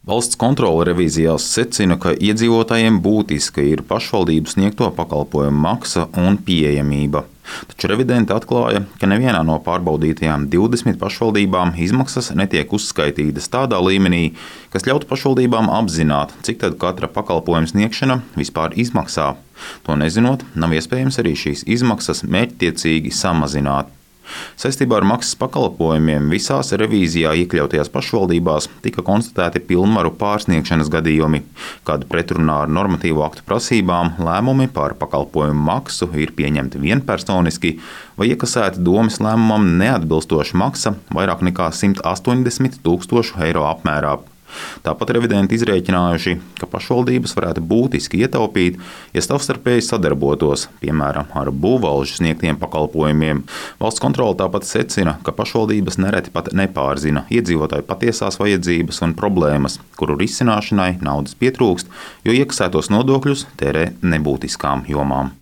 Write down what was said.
Valsts kontrole revīzijās secina, ka iedzīvotājiem būtiska ir pašvaldību sniegto pakalpojumu maksa un pieejamība. Taču revidenti atklāja, ka nevienā no pārbaudītajām 20 pašvaldībām izmaksas netiek uzskaitītas tādā līmenī, kas ļautu pašvaldībām apzināt, cik tad katra pakalpojuma sniegšana vispār izmaksā. To nezinot, nav iespējams arī šīs izmaksas mērķtiecīgi samazināt. Saistībā ar maksas pakalpojumiem visās revīzijā iekļautajās pašvaldībās tika konstatēti pilnvaru pārsniegšanas gadījumi, kad pretrunā ar normatīvo aktu prasībām lēmumi par pakalpojumu maksu ir pieņemti vienpersoniski vai iekasēta domes lēmumam neatbilstoša maksa vairāk nekā 180 000 eiro apmērā. Tāpat revidenti izrēķinājuši, ka pašvaldības varētu būtiski ietaupīt, ja savstarpēji sadarbotos, piemēram, ar būvvalžu sniegtiem pakalpojumiem. Valsts kontrole tāpat secina, ka pašvaldības nereti pat nepārzina iedzīvotāju patiesās vajadzības un problēmas, kuru risināšanai naudas pietrūkst, jo iekasētos nodokļus tērē nebūtiskām jomām.